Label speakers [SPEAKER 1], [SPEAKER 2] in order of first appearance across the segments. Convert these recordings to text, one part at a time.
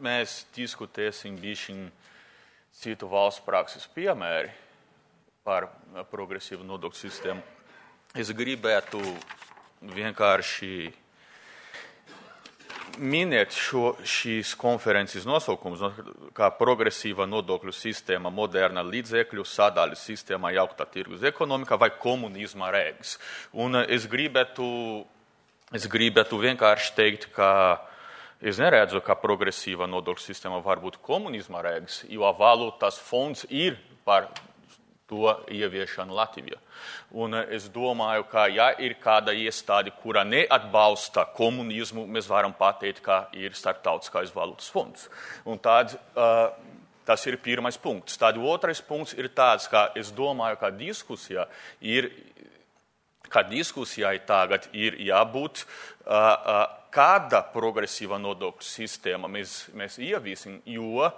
[SPEAKER 1] mēs diskutēsim bišķiņ citu valsts prakses piemēri par progresīvu nodokļu sistēmu. Es gribētu vienkārši minēt šīs konferences nosaukumus, kā progresīva nodokļu sistēma, moderna līdzekļu sadaļu sistēma, jauktā tirgus ekonomika vai komunisma rēgas. Un es gribētu vienkārši teikt, ka es neredzu, ka progresīva nodokļu sistēma var būt komunisma rēgas, jo valūtas fonds ir par to ieviešanu Latvijā. Un es domāju, ka ja ir kāda iestāde, kura neatbalsta komunismu, mēs varam pateikt, ka ir Starptautiskais valūtas fonds. Un tāds, tas ir pirmais punkts. Tad otrais punkts ir tāds, ka es domāju, ka diskusijai tagad ir jābūt, kāda progresīva nodokļu sistēma mēs ieviesim, jo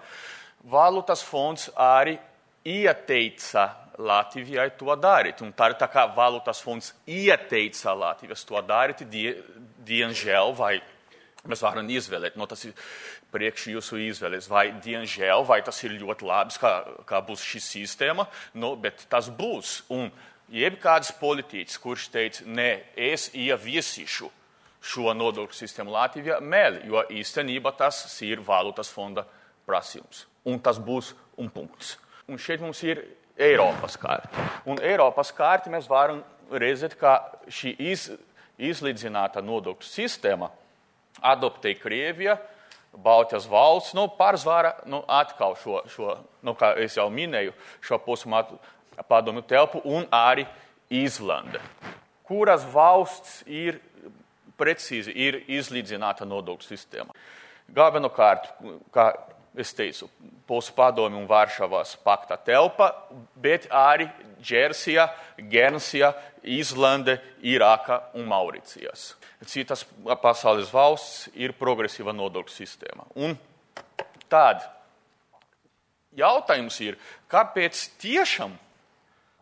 [SPEAKER 1] valūtas fonds arī ieteica Latvijai to darīt. Un tā kā valūtas fonds ieteica Latvijas to darīt, diemžēl, vai mēs varam izvēlēt, tas ir priekš jūsu izvēles, vai diemžēl, vai tas ir ļoti labs, kā būs šī sistēma, bet tas būs. Un jebkāds politiķis, kurš teica, es ieviesīšu šo nodokļu sistēmu Latvijā, meli, jo īstenībā tas ir valūtas fonda prasījums. Un tas būs un punkts. Un šeit mums ir Eiropas kārti. Un Eiropas kārti mēs varam redzēt, ka šī izlīdzināta nodokļu sistēma adoptēja Krievija, Baltijas valsts, pārsvarā atkal šo, kā es jau minēju, šo padomju telpu un arī Īslande, kuras valsts ir precīzi ir izlīdzināta nodokļu sistēma. Galvenokārt, kā es teicu, padomju un Varšavas pakta telpa, bet arī Džersija, Guernsija, Īslande, Irāka un Mauricijas. Citas pasaules valsts ir progresīva nodokļu sistēma. Un tad jautājums ir, kāpēc tiešām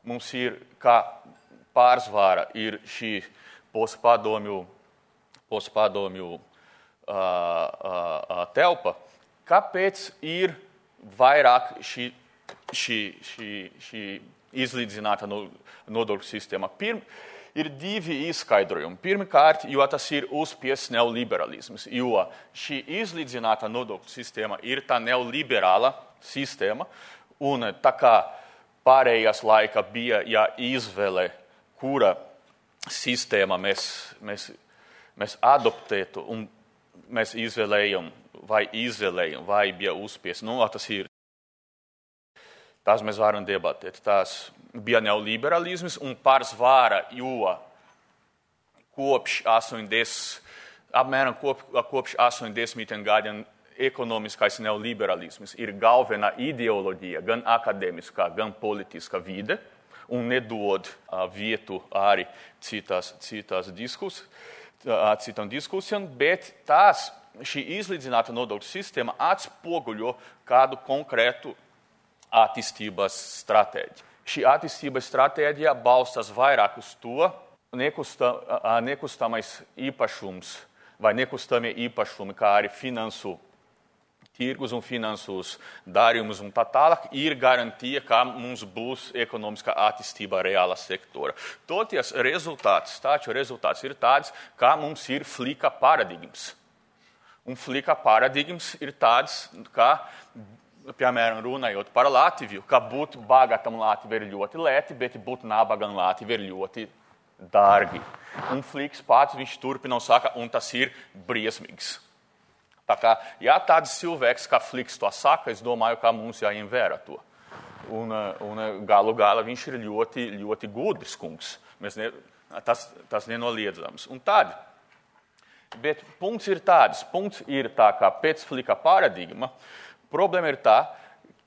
[SPEAKER 1] mums ir, kā pārsvara ir šī postpadomju telpa, kāpēc ir vairāk šī izlīdzināta nodokļu sistēma? Ir divi izskaidrojumi. Pirmkārt, jo tas ir uzspiests neoliberalisms, jo šī izlīdzināta nodokļu sistēma ir tā neoliberāla sistēma, un tā kā pārējās laika bija jāizvēle, kura sistēma mēs adoptētu, un mēs izvēlējam, vai bija uzspiests. Tas mēs varam debatēt. Tas bija neoliberalisms un pārsvara, jo apmēram kopš 80. gadiem ekonomiskais neoliberalisms ir galvenā ideoloģija, gan akadēmiskā, gan politiskā vide, un nedod vietu arī citām diskusijām, bet šī izlīdzināta nodokļu sistēma atspoguļo kādu konkrētu attīstības stratēģiju. Šī attīstības stratēģija balstās vairāk uz to, nekustamais īpašums vai nekustamie īpašumi, kā arī finansu tirgus un finansus darījumus un tā tālāk, ir garantija, ka mums būs ekonomiskā attīstība reāla sektora. Toties rezultāts ir tāds, ka mums ir flika paradigmas. Un flika paradigmas ir tāds, ka, piemēram, runājot par Latviju, ka būt bagatam Latviju ir ļoti lēti, bet būt nabagam Latviju ir ļoti dārgi. Un fliks pats viņš turpina un saka, un tas ir briesmīgs. Tā kā, ja tāds cilvēks, kā fliks to saka, es domāju, ka mums jāņem vērā to. Un galu galā viņš ir ļoti, ļoti gudrs kungs. Tas nenoliedzams. Un tad, bet punkts ir tā, ka pēc flika paradigma problēma ir tā,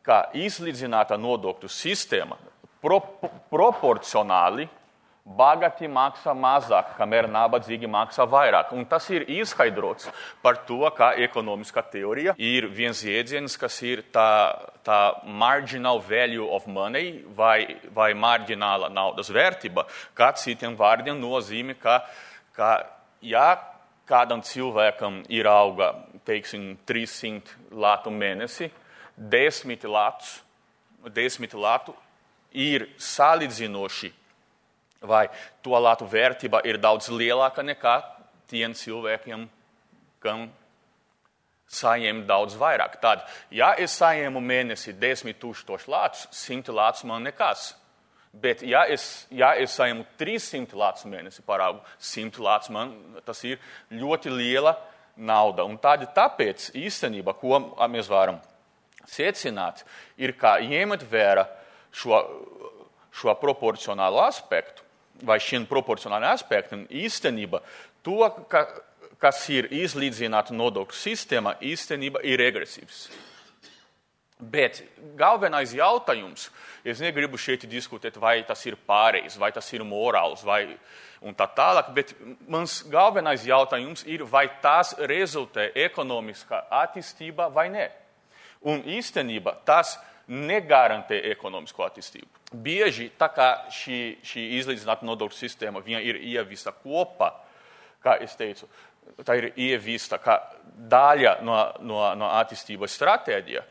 [SPEAKER 1] ka izlīdzināta nodokļu sistēma proporcionāli bagati maksā mazāk, kamēr nabadzīgi maksā vairāk. Un tas ir izskaidrots par to, ka ekonomiskā teorija ir viens jēdziens, kas ir tā marginal value of money vai marģināla naudas vērtība, kā citiem vārdiem nozīmē, ka ja kādam cilvēkam ir auga, teiksim, 300 latu mēnesi, 10 latu ir salīdzinoši, vai to latu vērtība ir daudz lielāka nekā tiem cilvēkiem, kam saņem daudz vairāk. Tad, ja es saņemu mēnesi 10 000 latus, 100 latus man nekas. Bet, ja es saņemu 300 latus mēnesi parādu, 100 latus man tas ir ļoti liela nauda. Un tāpēc īstenībā, ko mēs varam secināt, ir, ka ņemt vērā šo proporcionālu aspektu, vai šiem proporcionāliem aspektiem, īstenībā to, kas ir izlīdzināta nodokļu sistēma, īstenībā ir regresīvs. Bet galvenais jautājums, es negribu šeit diskutēt, vai tas ir pareizs, vai tas ir morāls, un tā tālāk, bet mans galvenais jautājums ir, vai tas rezultē ekonomiskā attīstībā vai ne. Un īstenībā tas negarantē ekonomisko attīstību. Bieži tā kā šī izlīdzināta nodokļu sistēma viņa ir ieviesta kopā, kā es teicu, tā ir ieviesta kā daļa no attīstības stratēģija,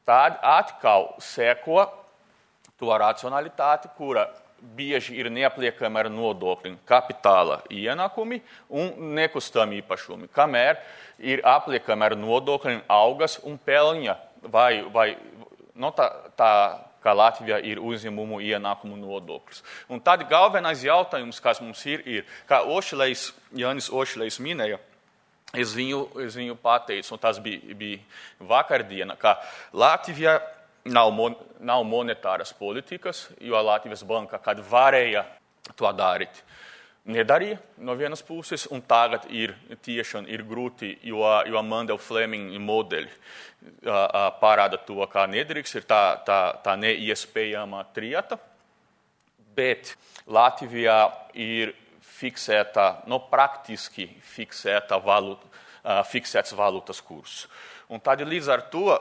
[SPEAKER 1] tad atkal seko to racionalitāti, kura bieži ir neapliekama ar nodokļiem kapitāla ienākumi un nekustami īpašumi, kamēr ir apliekama ar nodokļiem algas un peļņa, vai tā kā Latvijā ir uzņēmumu ienākumu nodoklis. Un tad galvenais jautājums, kas mums ir, kā Jānis Ošlejs minēja, es viņu pateicu, un tas bija vakardiena, ka Latvijā nav monetāras politikas, jo Latvijas banka, kad varēja to darīt, nedarīja no vienas puses, un tagad tiešām ir grūti, jo Mandela Fleming modeļi parāda to, kā nedrīkst, ir tā neiespējama trieta, bet Latvijā ir fiksēta, praktiski fiksēts valūtas kurs. Un tad līdz ar to,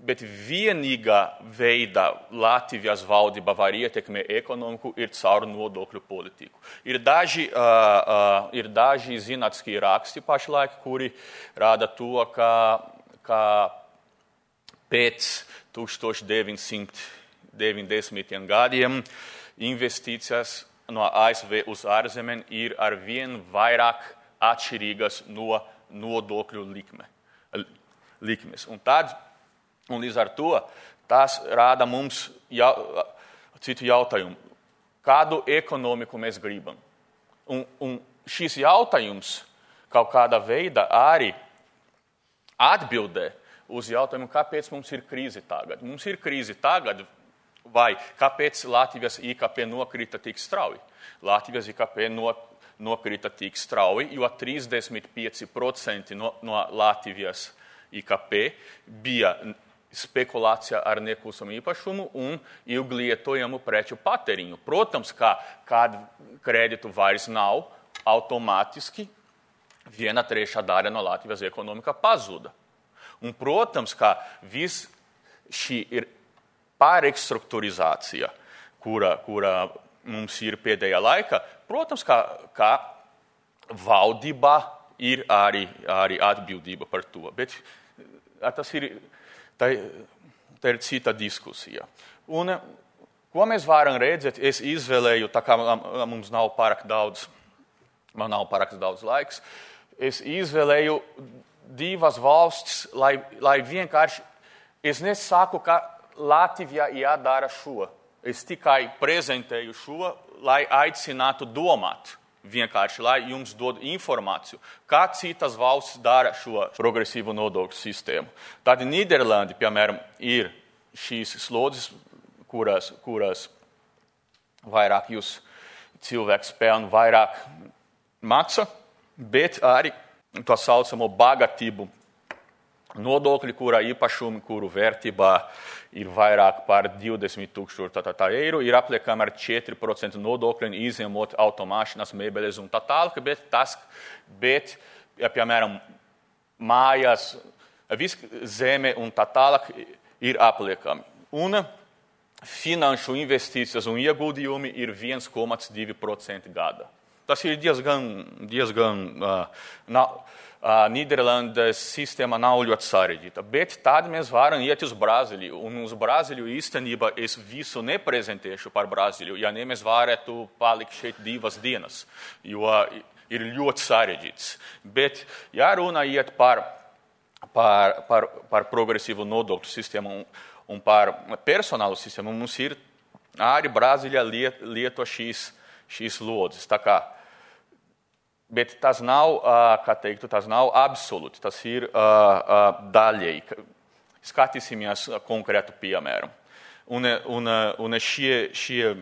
[SPEAKER 1] bet vienīgā veidā Latvijas valdība var ietekmēt ekonomiku ir caur nodokļu politiku. Ir daži zinātniskie raksti pašlaik, kuri rāda to, ka pēc 1990. gadiem investīcijas no ASV uz ārzemēm ir arvien vairāk atšķirīgas no nodokļu likmes. Un līdz ar to tas rāda mums citu jautājumu. Kādu ekonomiku mēs gribam? Un šis jautājums kaut kādā veidā arī atbildē uz jautājumu, kāpēc mums ir krīze tagad. Mums ir krīze tagad, vai kāpēc Latvijas IKP nokrita tik strauji? Latvijas IKP nokrita tik strauji, jo 35% no Latvijas IKP bija spekulācija ar nekustamo īpašumu un ilglietojamu preču patēriņu. Protams, kad kreditu vairs nav, automātiski 1/3 daļa no Latvijas ekonomika pazuda. Un, protams, ka viss šī ir pārrestruktūrizācija, kura mums ir pēdējā laikā, protams, ka valdībā ir arī atbildība par to. Bet tā ir cita diskusija. Un, ko mēs varam redzēt, es izvēlēju, tā kā mums nav pārāk daudz laiks, es izvēlēju divas valstis, lai vienkārši, es nesaku, ka Latvijā jādara šo. Es tikai prezentēju šo, lai aicinātu domāt. Vienkārši, lai jums dod informāciju, kā citas valsts dara šo progresīvu nodokļu sistēmu. Tad Nīderlandi, piemēram, ir šīs slodzes, kuras vairāk jūs cilvēks pelna, vairāk maksa, bet arī to saucamo bagātību nodokļi, kura īpašumi, kuru vērtībā ir vairāk par 20 000 eiro, ir apliekama ar 4% nodokļiem, izņemot automašīnas, mēbeles un tā tālāk, bet, ja, piemēram, mājas, viss zeme un tā tālāk ir apliekami. Un finanšu investīcijas un ieguldījumi ir 1,2% gada. tas ir diezgan Nīderlandes sistēma nav ļoti sarežģīta, bet tad mēs varam iet uz Brazīliju, un uz Brazīliju īstenībā es visu neprezentēšu par Brazīliju, ja ne mēs varētu palikt šeit 2 dienas, jo ir ļoti sarežģīts. Bet, ja runa iet par progresīvu nodokļu sistēmu un par personālu sistēmu, mums ir arī Brazīlijā lieto šīs lodzes. Tā kā, bet tas nav, tas nav absolūti, tas ir daļēji. Skatīsimies konkrētu piemēru. Un šie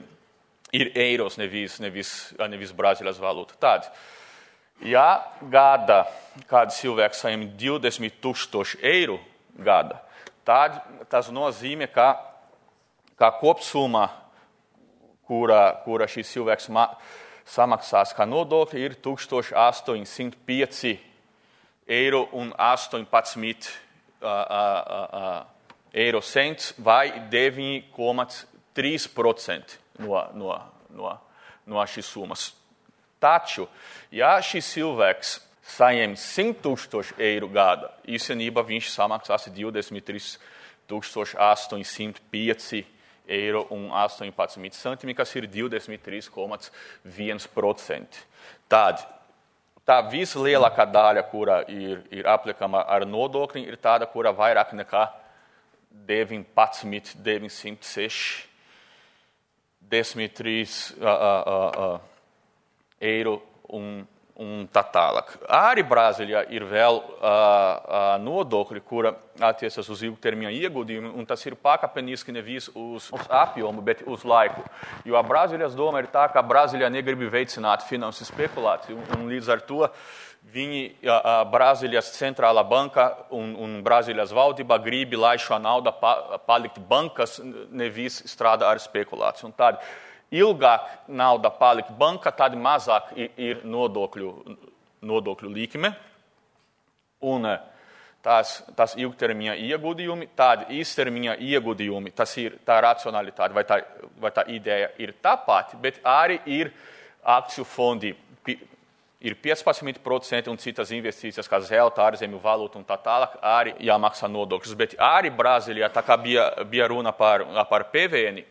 [SPEAKER 1] ir eiros, nevis Brazīlijas valūta. Tad, ja gada kāds cilvēks saņem 20,000 eiro gada, tad tas nozīmē, ka kopsumma, kura šis cilvēks samaksās kā nodokļi, ir 1,805 eiro un 18 eiro cents vai 9,3% no šīs summas. Taču, ja šis cilvēks saņem 100,000 eiro gada, īstenībā viņš samaksās 23,805 eiro un 18 centimi, kas ir 23,1%. Tad, tā vislielākā daļa, kura ir aplikama ar nodokļiem, ir tāda, kura vairāk nekā 19,906 eiro un tā tālāk. Arī Brazīlijā ir vēl nodokļi, kura attiecas uz ilgtermiņa ieguldījumu, un tas ir pakāpeniski nevis uz apjomu, bet uz laiku. Jo Brazīlijas doma ir tā, ka Brazīlijā negrib veicināt finansu spekulāciju, un līdz ar to Brazīlijas centrālā banka un Brazīlijas valdība grib, lai šo naudu palikt bankas, nevis strādā ar spekulāciju. Un tad ilgāk nauda palikt banka, tad mazāk ir nodokļu likme. Un tas ilgtermiņa ieguldījumi, tad īstermiņa ieguldījumi, tas ir tā racionalitāte vai tā ideja ir tā pati, bet arī ir akciju fondi, ir 15% un citas investīcijas, kā zelta, ārzemju valūta un tā tālāk, arī jāmaksā nodokļus. Bet arī Brazīlijā, tā kā bija runa par PVN,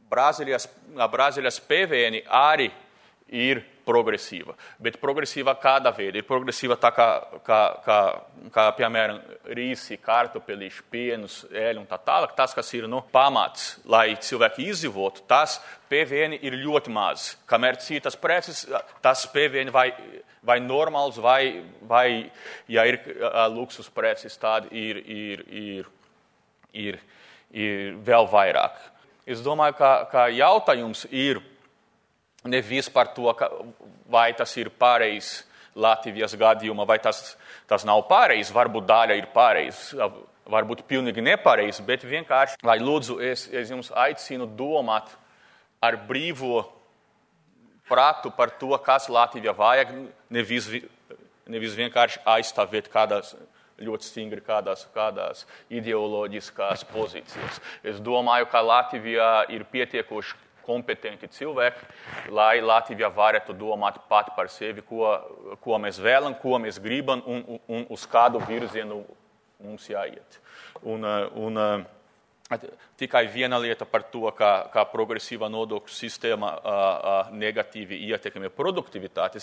[SPEAKER 1] Brazīlijas PVN arī ir progresīva, bet progresīva kāda veida? Ir progresīva tā kā piemēram, rīsi, kartupelīši, pienus, eļu un tā tālāk. Tas, kas ir pamats, lai cilvēki izdzīvotu, tas PVN ir ļoti maz. Kamēr citas preces, tas PVN vai normāls, vai ja ir luksus preces, tad ir vēl vairāk. Es domāju, ka jautājums ir nevis par to, vai tas ir pareizs Latvijas gadījumā, vai tas nav pareizs, varbūt daļa ir pareizs, varbūt pilnīgi nepareizs, bet vienkārši, lai lūdzu, es jums aicinu domāt ar brīvo prātu par to, kas Latvijā vajag, nevis vienkārši aizstāvēt kādās ļoti stingri kādās ideoloģiskās pozīcijas. Es domāju, ka Latvijā ir pietiekoši kompetenti cilvēki, lai Latvijā varētu domāt pat par sevi, ko mēs vēlam, ko mēs gribam un uz kādu virzienu mums jāiet. Un tikai viena lieta par to, kā progresīva nodokļu sistēma negatīvi ietekmē produktivitāti.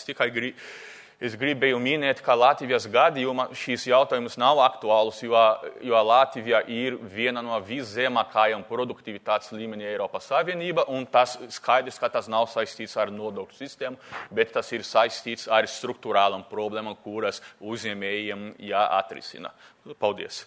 [SPEAKER 1] Es gribēju minēt, ka Latvijas gadījumā šīs jautājums nav aktuāls, jo Latvija ir viena no viszemākajām produktivitātes līmenī Eiropas Savienība, un tas skaidrs, ka tas nav saistīts ar nodokļu sistēmu, bet tas ir saistīts ar struktūrālām problēmām, kuras uzņēmējiem jāatrisina. Paldies!